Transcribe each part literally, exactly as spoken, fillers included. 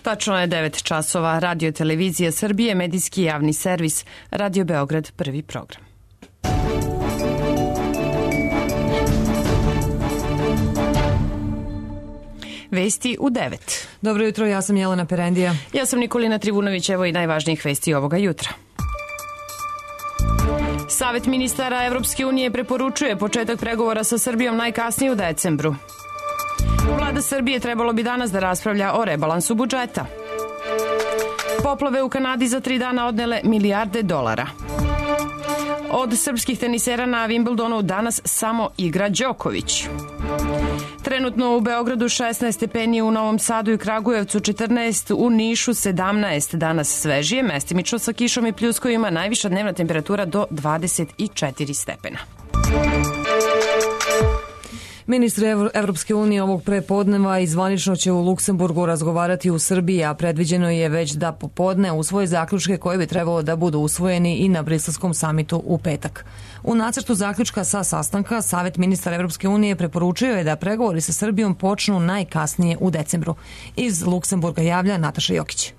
Tačno je devet časova. Radio televizija Srbije, medijski javni servis, Radio Beograd, prvi program. Vesti u devet. Dobro jutro, ja sam Jelena Perendija. Ja sam Nikolina Trivunović, evo i najvažnijih vesti ovoga jutra. Savet ministara Evropske unije preporučuje početak pregovora sa Srbijom najkasnije u decembru. Vlada Srbije trebalo bi danas da raspravlja o rebalansu budžeta. Poplave u Kanadi za tri dana odnele milijarde dolara. Od srpskih tenisera na Wimbledonu danas samo igra Đoković. Trenutno u Beogradu šesnaest stepeni, u Novom Sadu i Kragujevcu četrnaest, u Nišu sedamnaest, danas svežije, mestimično sa kišom i pljuskovima, najviša dnevna temperatura do dvadeset četiri stepena. Ministri Evropske unije ovog prepodneva i zvanično će u Luksemburgu razgovarati u Srbiji, a predviđeno je već da popodne usvoje zaključke koje bi trebalo da budu usvojeni i na Briselskom samitu u petak. U nacrtu zaključka sa sastanka Savet ministara Evropske unije preporučio je da pregovori sa Srbijom počnu najkasnije u decembru. Iz Luksemburga javlja Nataša Jokić.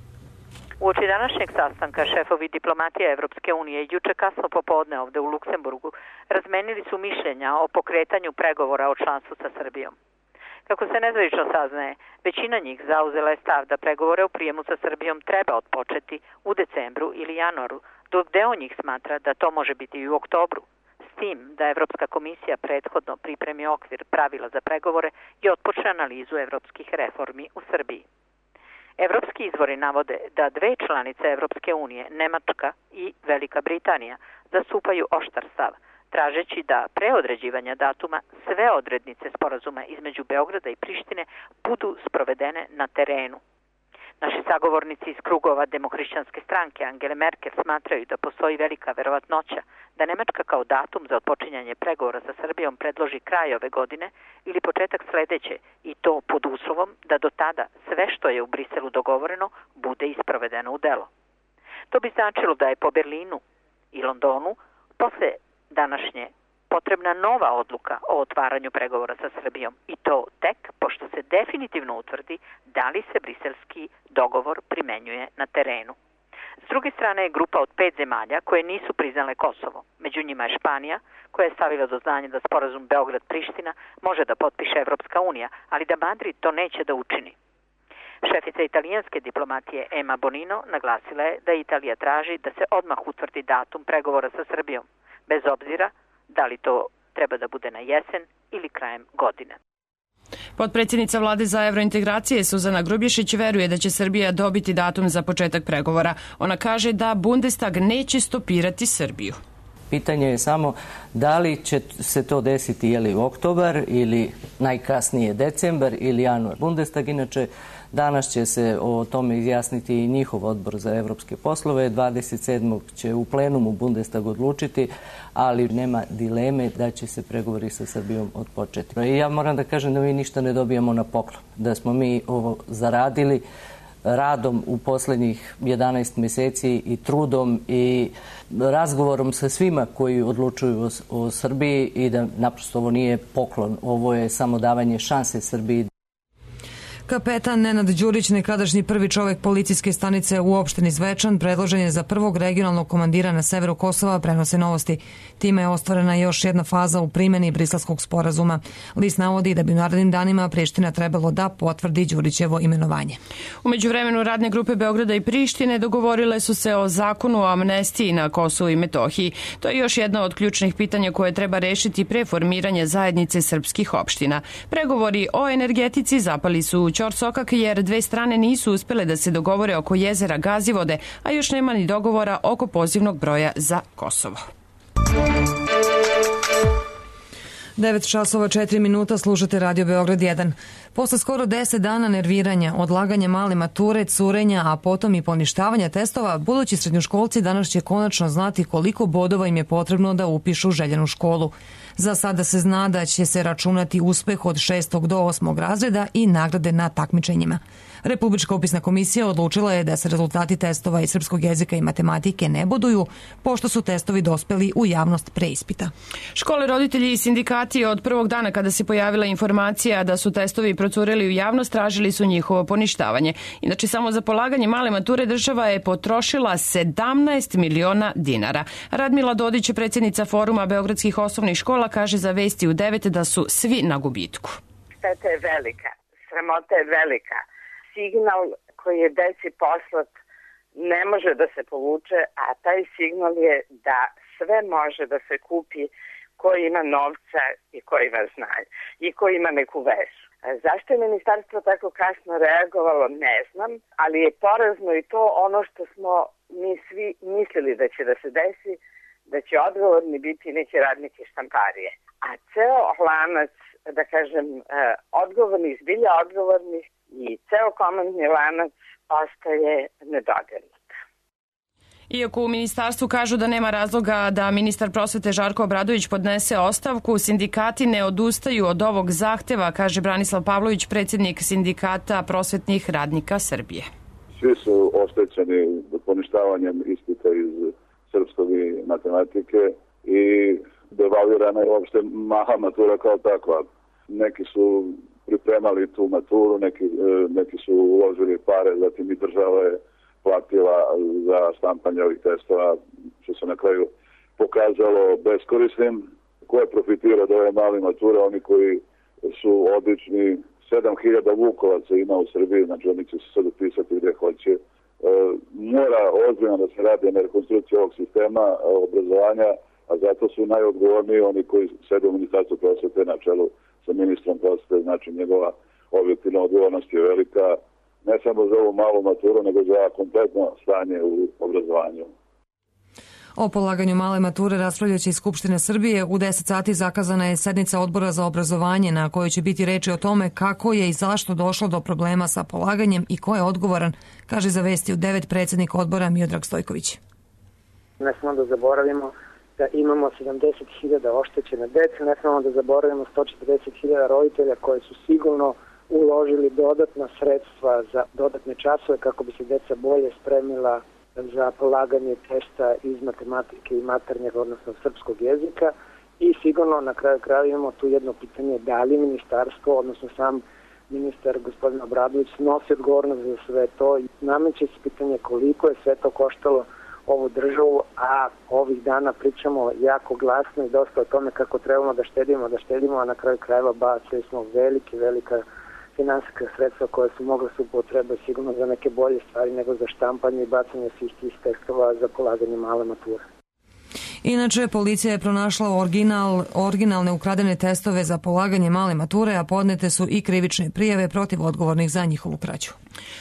Uoči današnjeg sastanka šefovi diplomatije Evropske unije juče kasno popodne ovde u Luksemburgu razmenili su mišljenja o pokretanju pregovora o članstvu sa Srbijom. Kako se nezvanično saznaje, većina njih zauzela je stav da pregovore o prijemu sa Srbijom treba otpočeti u decembru ili januaru, dok deo njih smatra da to može biti i u oktobru, s tim da Evropska komisija prethodno pripremi okvir pravila za pregovore i otpočne analizu evropskih reformi u Srbiji. Evropski izvori navode da dve članice Evropske unije, Nemačka i Velika Britanija, zastupaju oštar stav, tražeći da pre određivanja datuma sve odrednice sporazuma između Beograda i Prištine budu sprovedene na terenu. Naši sagovornici iz krugova Demohrišćanske stranke Angele Merkel smatraju da postoji velika verovatnoća da Nemačka kao datum za otpočinjanje pregovora sa Srbijom predloži kraj ove godine ili početak sledeće, i to pod uslovom da do tada sve što je u Briselu dogovoreno bude isprovedeno u delo. To bi značilo da je po Berlinu i Londonu posle današnje potrebna nova odluka o otvaranju pregovora sa Srbijom, i to tek pošto se definitivno utvrdi da li se briselski dogovor primenjuje na terenu. S druge strane je grupa od pet zemalja koje nisu priznale Kosovo. Među njima je Španija, koja je stavila do znanja da sporazum Beograd-Priština može da potpiše Evropska unija, ali da Madrid to neće da učini. Šefica italijanske diplomatije Emma Bonino naglasila je da Italija traži da se odmah utvrdi datum pregovora sa Srbijom, bez obzira da li to treba da bude na jesen ili krajem godine. Potpredsjednica vlade za evrointegracije Suzana Grubješić veruje da će Srbija dobiti datum za početak pregovora. Ona kaže da Bundestag neće stopirati Srbiju. Pitanje je samo da li će se to desiti je li u oktobar ili najkasnije decembar ili januar. Bundestag inače danas će se o tome izjasniti i njihov odbor za evropske poslove. dvadeset sedmog će u plenumu Bundestag odlučiti, ali nema dileme da će se pregovori sa Srbijom odpočeti. I ja moram da kažem da mi ništa ne dobijamo na poklon, da smo mi ovo zaradili radom u poslednjih jedanaest meseci i trudom i razgovorom sa svima koji odlučuju o, o Srbiji, i da naprosto ovo nije poklon, ovo je samo davanje šanse Srbiji. Kapetan Nenad Đurić, nekadašnji prvi čovek policijske stanice u opštini Zvečan, predložen je za prvog regionalnog komandira na severu Kosova, prenose Novosti. Time je ostvarena još jedna faza u primjeni Briselskog sporazuma. List navodi da bi u narednim danima Priština trebalo da potvrdi Đurićevo imenovanje. U međuvremenu radne grupe Beograda i Prištine dogovorile su se o zakonu o amnestiji na Kosovu i Metohiji. To je još jedno od ključnih pitanja koje treba rešiti pre formiranja zajednice srpskih opština. Pregovori o energetici zapali su u ćorsokak jer dve strane nisu uspele da se dogovore oko jezera Gazivode, a još nema ni dogovora oko pozivnog broja za Kosovo. devet časova četiri minuta, slušate Radio Beograd jedan. Posle skoro deset dana nerviranja, odlaganja male mature, curenja, a potom i poništavanja testova, budući srednjoškolci danas će konačno znati koliko bodova im je potrebno da upišu željenu školu. Za sada se zna da će se računati uspeh od šestog do osmog razreda i nagrade na takmičenjima. Republička upisna komisija odlučila je da se rezultati testova iz srpskog jezika i matematike ne boduju, pošto su testovi dospeli u javnost pre ispita. Škole, roditelji i sindikati od prvog dana kada se pojavila informacija da su testovi procureli u javnost, tražili su njihovo poništavanje. Inače, samo za polaganje male mature država je potrošila sedamnaest miliona dinara. Radmila Dodić, predsjednica Foruma beogradskih osnovnih škola, kaže za Vesti u devet da su svi na gubitku. Šteta je velika, sramota je velika. Signal koji je deci poslat ne može da se povuče, a taj signal je da sve može da se kupi ko ima novca i ko ima znanje i ko ima neku vezu. Zašto je ministarstvo tako kasno reagovalo, ne znam, ali je porazno i to ono što smo mi svi mislili da će da se desi, da će odgovorni biti neki radniki štamparije. A ceo lanac, da kažem, odgovorni, zbilja odgovornih, i ceo komandni lanac ostaje nedodirnut. Iako u ministarstvu kažu da nema razloga da ministar prosvete Žarko Obradović podnese ostavku, sindikati ne odustaju od ovog zahteva, kaže Branislav Pavlović, predsjednik sindikata prosvetnih radnika Srbije. Svi su oštećeni poništavanjem ispita iz srpskog i matematike i devalvirana je uopšte maha matura kao takva. Neki su pripremali tu maturu, neki, neki su uložili pare, zatim i država je platila za štampanje ovih testova, što se na kraju pokazalo beskorisnim. Ko je profitirao od ove male mature? Oni koji su odlični. sedam hiljada Vukovaca ima u Srbiji, znači oni će se sad upisati gdje hoće. E, mora ozbiljno da se radi na rekonstrukciji ovog sistema obrazovanja, a zato su najodgovorniji oni koji sede u Ministarstvu prosvete na čelu sa ministrom prosvete, znači njegova objektivna odgovornost je velika, ne samo za ovu malu maturu, nego za kompletno stanje u obrazovanju. O polaganju male mature raspravljaće iz Skupštine Srbije. U deset sati zakazana je sednica Odbora za obrazovanje na kojoj će biti reči o tome kako je i zašto došlo do problema sa polaganjem i ko je odgovoran, kaže za Vesti u devet predsjednik odbora Miodrag Stojković. Ne smemo da zaboravimo da imamo sedamdeset hiljada oštećene dece, ne smemo da zaboravimo sto četrdeset hiljada roditelja koji su sigurno uložili dodatna sredstva za dodatne časove kako bi se deca bolje spremila za polaganje testa iz matematike i maternjeg, odnosno srpskog jezika, i sigurno na kraju kraja imamo tu jedno pitanje da li ministarstvo, odnosno sam ministar gospodin Obradović nosi odgovornost za sve to i nameće se pitanje koliko je sve to koštalo ovu državu, a ovih dana pričamo jako glasno i dosta o tome kako trebamo da štedimo, da štedimo, a na kraju krajeva bacili smo velike, velika finansijska sredstva koja su mogla se upotrebati sigurno za neke bolje stvari nego za štampanje i bacanje svih tih testova za polaganje male mature. Inače, policija je pronašla original, originalne ukradene testove za polaganje male mature, a podnete su i krivične prijave protiv odgovornih za njihovu krađu.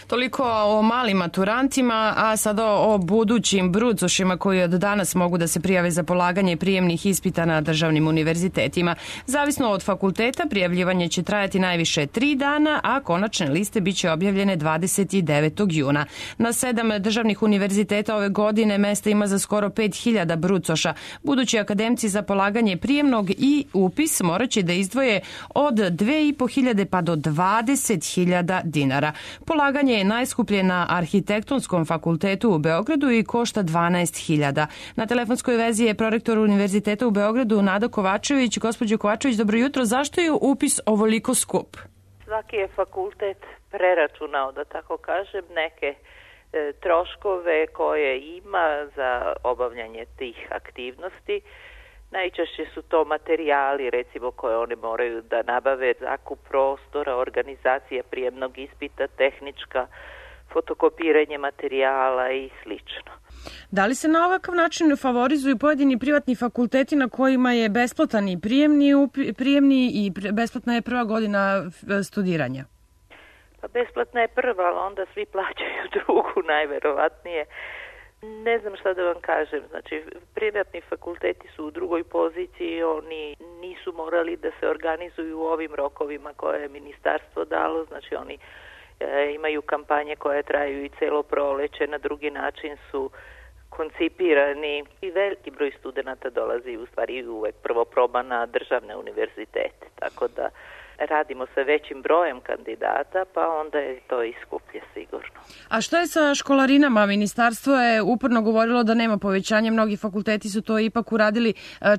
Toliko o malim maturantima, a sada o budućim brucošima koji od danas mogu da se prijave za polaganje prijemnih ispita na državnim univerzitetima. Zavisno od fakulteta, prijavljivanje će trajati najviše tri dana, a konačne liste biće objavljene dvadeset devetog juna. Na sedam državnih univerziteta ove godine mesta ima za skoro pet hiljada brucoša. Budući akademci za polaganje prijemnog i upis morat će da izdvoje od dve i po hiljade pa do dvadeset hiljada dinara. Polaganje je najskuplje na Arhitektonskom fakultetu u Beogradu i košta dvanaest hiljada. Na telefonskoj vezi je prorektor Univerziteta u Beogradu Nada Kovačević. Gospođo Kovačević, dobro jutro. Zašto je upis ovoliko skup? Svaki je fakultet preračunao, da tako kažem, neke e, troškove koje ima za obavljanje tih aktivnosti. Najčešće su to materijali, recimo, koje oni moraju da nabave, zakup prostora, organizacija prijemnog ispita, tehnička, fotokopiranje materijala i slično. Da li se na ovakav način favorizuju pojedini privatni fakulteti na kojima je besplatan i prijemni, prijemni i besplatna je prva godina studiranja? Pa besplatna je prva, ali onda svi plaćaju drugu, najverovatnije. Ne znam šta da vam kažem, znači privatni fakulteti su u drugoj poziciji, oni nisu morali da se organizuju u ovim rokovima koje je ministarstvo dalo, znači oni e, imaju kampanje koje traju i celo proleće, na drugi način su koncipirani i veliki broj studenta dolazi u stvari uvek prvo proba na državne univerzitete, tako da radimo sa većim brojem kandidata, pa onda je to i skuplje sigurno. A što je sa školarinama? Ministarstvo je uporno govorilo da nema povećanja, mnogi fakulteti su to ipak uradili.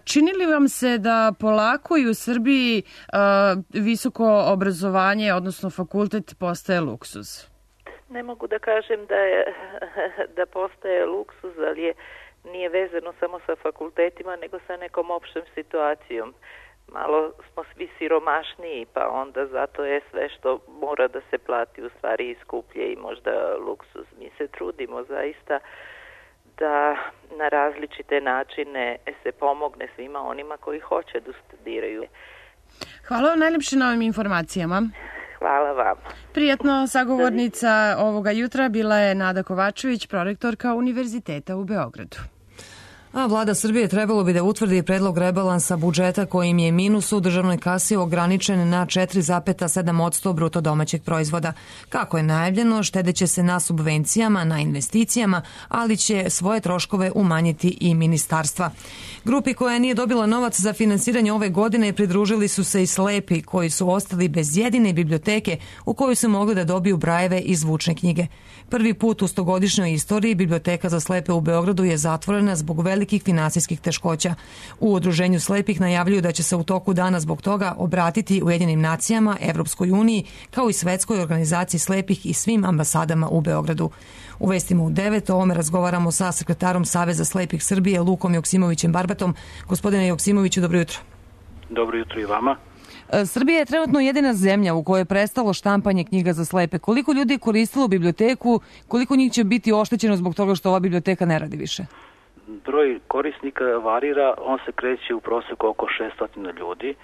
Čini li vam se da polako i u Srbiji visoko obrazovanje, odnosno fakultet, postaje luksuz? Ne mogu da kažem da, je, da postaje luksuz, ali je, nije vezano samo sa fakultetima, nego sa nekom opštom situacijom. Malo smo svi siromašniji, pa onda zato je sve što mora da se plati u stvari i skuplje i možda luksuz. Mi se trudimo zaista da na različite načine se pomogne svima onima koji hoće da studiraju. Hvala vam najljepše na ovim informacijama. Hvala vam. Prijatno, sagovornica ovoga jutra bila je Nada Kovačević, prorektorka Univerziteta u Beogradu. A vlada Srbije trebalo bi da utvrdi predlog rebalansa budžeta kojim je minus u državnoj kasi ograničen na četiri zarez sedam posto bruto domaćeg proizvoda. Kako je najavljeno, štedeće se na subvencijama, na investicijama, ali će svoje troškove umanjiti i ministarstva. Grupi koja nije dobila novac za finansiranje ove godine pridružili su se i slepi koji su ostali bez jedine biblioteke u kojoj su mogli da dobiju brajeve i zvučne knjige. Prvi put u stogodišnjoj istoriji biblioteka za slepe u Beogradu je zatvorena zbog velikih finansijskih teškoća. U Udruženju slepih najavljuju da će se u toku dana zbog toga obratiti Ujedinjenim nacijama, Evropskoj uniji, kao i Svetskoj organizaciji slepih i svim ambasadama u Beogradu. U vestima u devet o ovome razgovaramo sa sekretarom Saveza slepih Srbije Lukom Joksimovićem Barbatom. Gospodine Joksimoviću, dobro jutro. Dobro jutro i vama. Srbija je trenutno jedina zemlja u kojoj je prestalo štampanje knjiga za slepe. Koliko ljudi je koristilo biblioteku, koliko njih će biti oštećeno zbog toga što ova biblioteka ne radi više? Broj korisnika varira, on se kreće u proseku oko šessto ljudi.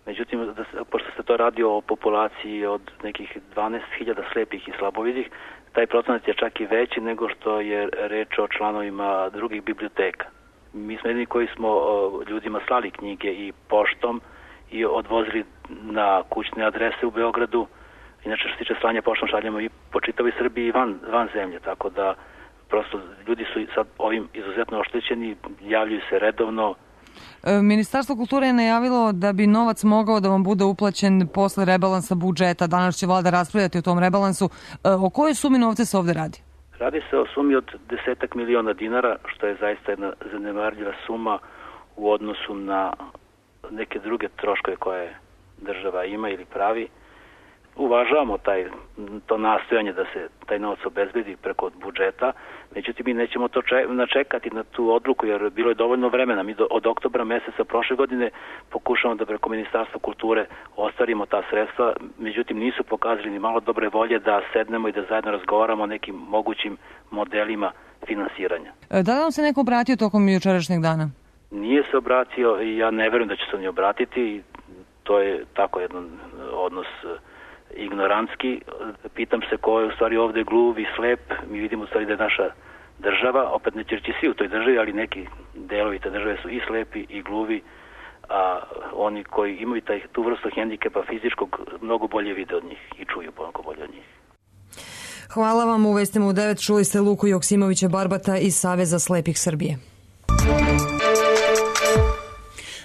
Međutim, da se, pošto se to radi o populaciji od nekih dvanaest hiljada slepih i slabovidih, taj procenat je čak i veći nego što je reč o članovima drugih biblioteka. Mi smo jedini koji smo ljudima slali knjige i poštom i odvozili na kućne adrese u Beogradu. Inače, što se tiče slanja poštom, šaljemo i po čitavoj Srbiji i van, van zemlje, tako da prosto ljudi su sad ovim izuzetno oštećeni, javljaju se redovno. Ministarstvo kulture je najavilo da bi novac mogao da vam bude uplaćen posle rebalansa budžeta. Danas će vlada raspravljati o tom rebalansu. O kojoj sumi novca se ovde radi? Radi se o sumi od desetak miliona dinara, što je zaista jedna zanemarljiva suma u odnosu na neke druge troškove koje država ima ili pravi. Uvažavamo taj, to nastojanje da se taj novac obezbedi preko budžeta, međutim mi nećemo to načekati na tu odluku jer bilo je dovoljno vremena. Mi do, od oktobra meseca prošle godine pokušamo da preko Ministarstva kulture ostvarimo ta sredstva, međutim nisu pokazali ni malo dobre volje da sednemo i da zajedno razgovaramo o nekim mogućim modelima finansiranja. Da li vam se neko obratio tokom jučerašnjeg dana? Nije se obratio i ja ne verujem da će se oni obratiti. To je tako jedan odnos ignorantski. Pitam se ko je u stvari ovde gluv i slep. Mi vidimo u stvari da je naša država, opet ne ćerći svi u toj državi, ali neki delovi te države su i slepi i gluvi, a oni koji imaju taj, tu vrstu hendikepa fizičkog mnogo bolje vide od njih i čuju mnogo bolje od njih. Hvala vam. U vestima u devet čuli ste Luku Joksimovića Barbata iz Saveza slepih Srbije.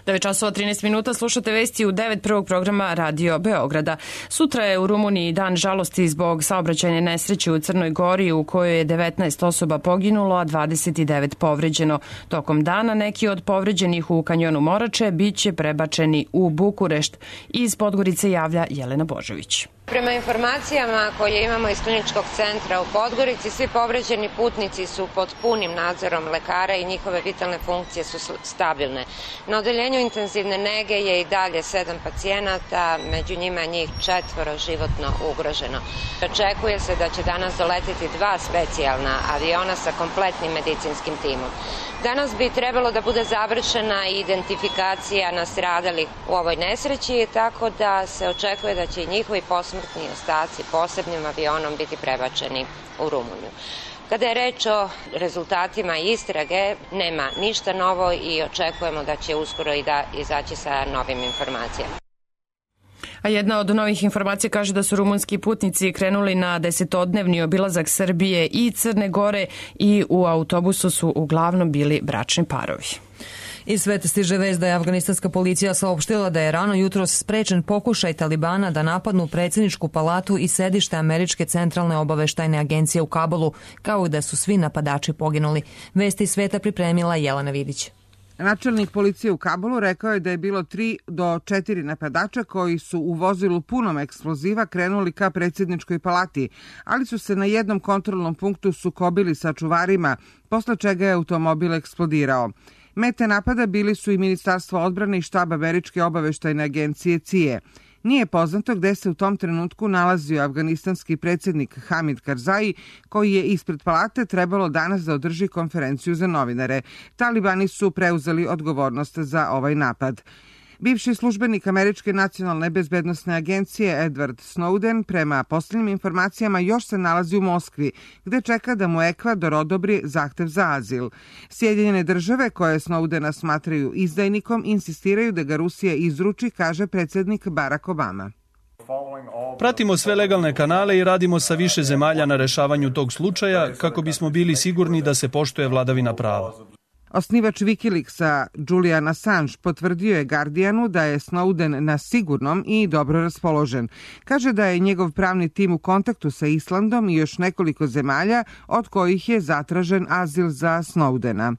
devet časova trinaest minuta, slušate vesti u devet prvog programa Radio Beograda. Sutra je u Rumuniji dan žalosti zbog saobraćajne nesreće u Crnoj Gori u kojoj je devetnaest osoba poginulo, a dvadeset devet povređeno. Tokom dana neki od povređenih u kanjonu Morače biće prebačeni u Bukurešt. Iz Podgorice javlja Jelena Božović. Prema informacijama koje imamo iz kliničkog centra u Podgorici, svi povređeni putnici su pod punim nadzorom lekara i njihove vitalne funkcije su stabilne. Na odeljenju intenzivne nege je i dalje sedam pacijenata, među njima njih četvoro životno ugroženo. Očekuje se da će danas doletiti dva specijalna aviona sa kompletnim medicinskim timom. Danas bi trebalo da bude završena identifikacija nastradalih u ovoj nesreći, tako da se očekuje da će i njihovi posmrtni ostaci posebnim avionom biti prebačeni u Rumuniju. Kada je reč o rezultatima istrage, nema ništa novo i očekujemo da će uskoro i da izaći sa novim informacijama. A jedna od novih informacija kaže da su rumunski putnici krenuli na desetodnevni obilazak Srbije i Crne Gore i u autobusu su uglavnom bili bračni parovi. Iz sveta stiže vest da je afganistanska policija saopštila da je rano jutros sprečen pokušaj Talibana da napadnu predsjedničku palatu i sedište Američke centralne obaveštajne agencije u Kabulu, kao i da su svi napadači poginuli. Vesti iz sveta pripremila Jelena Vidić. Načelnik policije u Kabulu rekao je da je bilo tri do četiri napadača koji su u vozilu punom eksploziva krenuli ka predsjedničkoj palati, ali su se na jednom kontrolnom punktu sukobili sa čuvarima, posle čega je automobil eksplodirao. Mete napada bili su i Ministarstvo odbrane i štab Američke obaveštajne agencije C I A. Nije poznato gde se u tom trenutku nalazio afganistanski predsjednik Hamid Karzai, koji je ispred palate trebalo danas da održi konferenciju za novinare. Talibani su preuzeli odgovornost za ovaj napad. Bivši službenik Američke nacionalne bezbednosne agencije Edward Snowden prema posljednjim informacijama još se nalazi u Moskvi, gde čeka da mu Ekvador odobri zahtev za azil. Sjedinjene države koje Snowdena smatraju izdajnikom insistiraju da ga Rusija izruči, kaže predsjednik Barack Obama. Pratimo sve legalne kanale i radimo sa više zemalja na rešavanju tog slučaja kako bismo bili sigurni da se poštuje vladavina prava. Osnivač Wikileaksa Julian Assange potvrdio je Guardianu da je Snowden na sigurnom i dobro raspoložen. Kaže da je njegov pravni tim u kontaktu sa Islandom i još nekoliko zemalja od kojih je zatražen azil za Snowdena.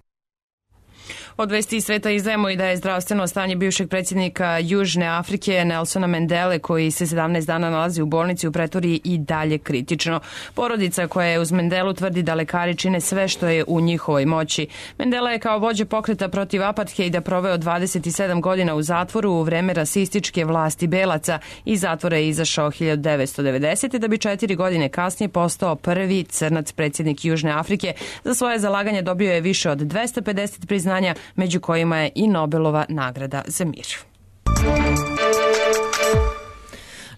Od vesti iz sveta izdajemo i da je zdravstveno stanje bivšeg predsjednika Južne Afrike Nelsona Mandele, koji se sedamnaest dana nalazi u bolnici u Pretoriji, i dalje kritično. Porodica koja je uz Mandelu tvrdi da lekari čine sve što je u njihovoj moći. Mandela je kao vođa pokreta protiv apartheida proveo dvadeset sedam godina u zatvoru u vreme rasističke vlasti belaca. Iz zatvora je izašao hiljadu devetsto devedesete. da bi četiri godine kasnije postao prvi crnac predsjednik Južne Afrike. Za svoje zalaganje dobio je više od dvesta pedeset priznanja, među kojima je i Nobelova nagrada za mir.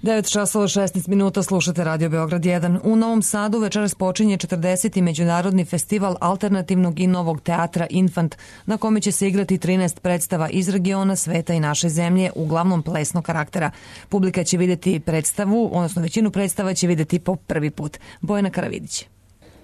devet časova šesnaest minuta, slušate Radio Beograd jedan. U Novom Sadu večeras počinje četrdeseti Međunarodni festival alternativnog i novog teatra Infant, na kome će se igrati trinaest predstava iz regiona, sveta i naše zemlje, uglavnom plesnog karaktera. Publika će vidjeti predstavu, odnosno većinu predstava će vidjeti po prvi put. Bojana Karavidić.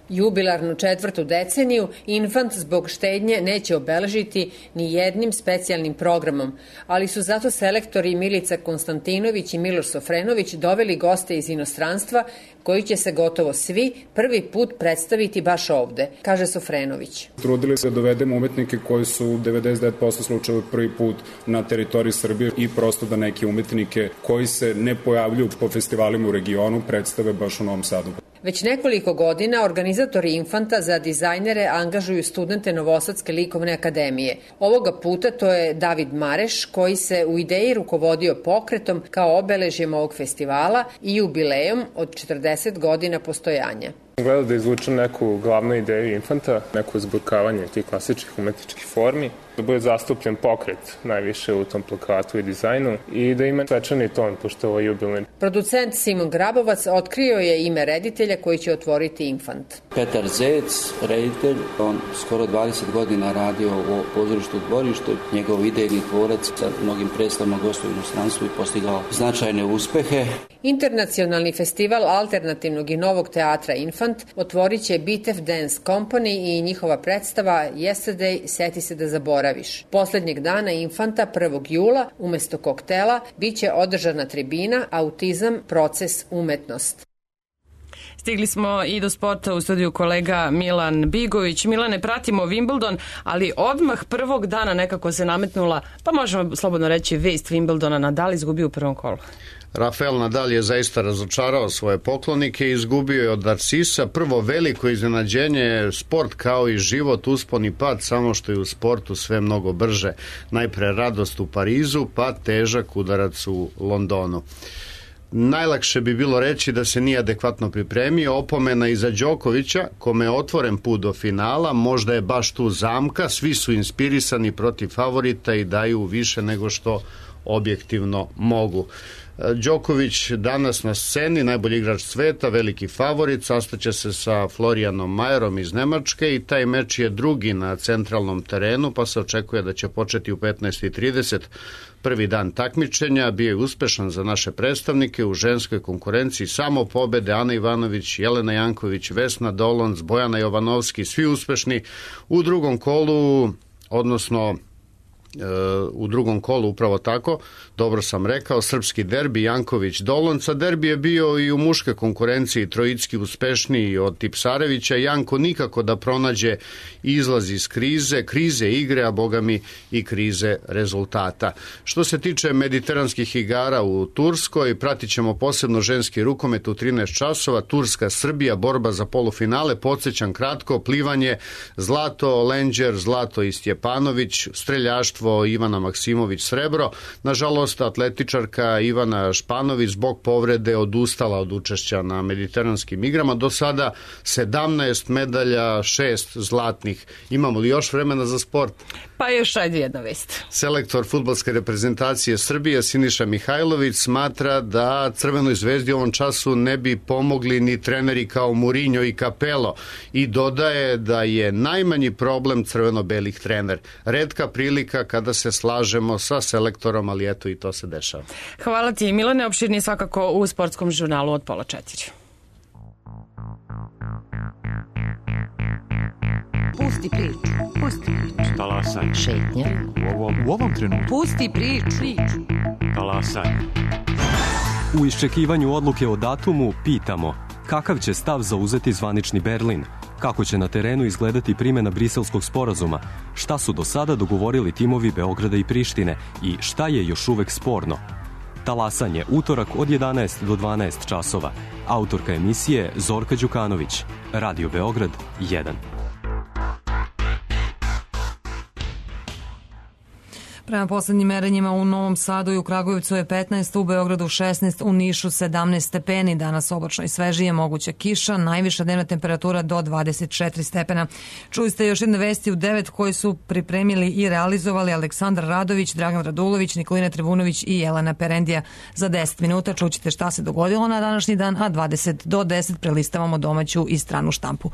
Jubilarnu četvrtu deceniju Infant zbog štednje neće obeležiti ni jednim specijalnim programom, ali su zato selektori Milica Konstantinović i Miloš Sofrenović doveli goste iz inostranstva koji će se gotovo svi prvi put predstaviti baš ovde, kaže Sofrenović. Trudili se da dovedemo umetnike koji su u devedeset devet posto slučajeva prvi put na teritoriji Srbije i prosto da neke umetnike koji se ne pojavljuju po festivalima u regionu predstave baš u Novom Sadu. Već nekoliko godina organizatori Infanta za dizajnere angažuju studente Novosadske likovne akademije. Ovoga puta to je David Mareš, koji se u ideji rukovodio pokretom kao obeležjem ovog festivala i jubilejom od četrdeset godina postojanja. Gledao da izvučem neku glavnu ideju Infanta, neko zburkavanje tih klasičnih umetničkih formi, da bude zastupljen pokret najviše u tom plakatu i dizajnu i da ima svečani ton, pošto ovo je jubilej. Producent Simon Grabovac otkrio je ime reditelja koji će otvoriti Infant. Petar Zec, reditelj, on skoro dvadeset godina radio u pozorištu Dvorište, njegov idejni tvorac sa mnogim predstavama gostuje u inostranstvu i postigao značajne uspehe. Internacionalni festival alternativnog i novog teatra Infant otvorit će Bitev Dance Company i njihova predstava Yesterday, seti se da zaboraviš. Poslednjeg dana Infanta, prvog jula, umesto koktela, bit će održana tribina Autizam, proces, umetnost. Stigli smo i do sporta, u studiju kolega Milan Bigović. Milane, pratimo Wimbledon, ali odmah prvog dana nekako se nametnula, pa možemo slobodno reći, vest Wimbledona. Nadal izgubio u prvom kolu. Rafael Nadal je zaista razočarao svoje poklonike i izgubio je od Narcisa. Prvo veliko iznenađenje je sport kao i život, uspon i pad, samo što je u sportu sve mnogo brže. Najpre radost u Parizu, pa težak udarac u Londonu. Najlakše bi bilo reći da se nije adekvatno pripremio, opomena iza Đokovića, kome je otvoren put do finala, možda je baš tu zamka, svi su inspirisani protiv favorita i daju više nego što objektivno mogu. Đoković danas na sceni, najbolji igrač sveta, veliki favorit, sastaće se sa Florianom Majerom iz Nemačke i taj meč je drugi na centralnom terenu, pa se očekuje da će početi u petnaest i trideset. Prvi dan takmičenja bio je uspešan za naše predstavnike u ženskoj konkurenciji, samo pobede Ana Ivanović, Jelena Janković, Vesna Dolonc, Bojana Jovanovski, svi uspešni. U drugom kolu, odnosno u drugom kolu upravo tako, dobro sam rekao, srpski derbi Janković-Dolonca. Derbi je bio i u muške konkurenciji, Trojicki uspešniji od Tipsarevića. Janko nikako da pronađe izlaz iz krize, krize igre, a bogami i krize rezultata. Što se tiče mediteranskih igara u Turskoj, pratit ćemo posebno ženski rukomet u trinaest časova, Turska-Srbija, borba za polufinale, podsjećam kratko, plivanje, zlato Lenđer, zlato i Stjepanović, streljaštvo Ivana Maksimović srebro. Nažalost, atletičarka Ivana Španović zbog povrede odustala od učešća na mediteranskim igrama. Do sada sedamnaest medalja, šest zlatnih. Imamo li još vremena za sport? Pa još ajde jedna vest. Selektor fudbalske reprezentacije Srbije Siniša Mihajlović smatra da Crvenoj zvezdi u ovom času ne bi pomogli ni treneri kao Mourinho i Capello i dodaje da je najmanji problem crveno-belih trener. Retka prilika kada se slažemo sa selektorom, ali eto i to se dešava. Hvala ti, Milane, opširni svakako u sportskom žurnalu od pola četiri. Pusti priču, pusti priču. Talasaj. Šetnja. U ovom, u ovom trenutku. Pusti priču. priču. Talasaj. U iščekivanju odluke o datumu pitamo kakav će stav zauzeti zvanični Berlin, kako će na terenu izgledati primjena Briselskog sporazuma, šta su do sada dogovorili timovi Beograda i Prištine i šta je još uvek sporno. Talasanje, utorak od jedanaest do dvanaest časova. Autorka emisije Zorka Đukanović. Radio Beograd jedan. Prema poslednjim merenjima u Novom Sadu i u Kragujevcu je petnaest, u Beogradu šesnaest, u Nišu sedamnaest stepeni. Danas oblačno i svežije, moguća kiša, najviša dnevna temperatura do dvadeset četiri stepena. Čuli ste još jedne vesti u devet koje su pripremili i realizovali Aleksandar Radović, Dragan Radulović, Nikolina Trivunović i Jelena Perendija. Za deset minuta čućete šta se dogodilo na današnji dan, a dvadeset do deset prelistavamo domaću i stranu štampu.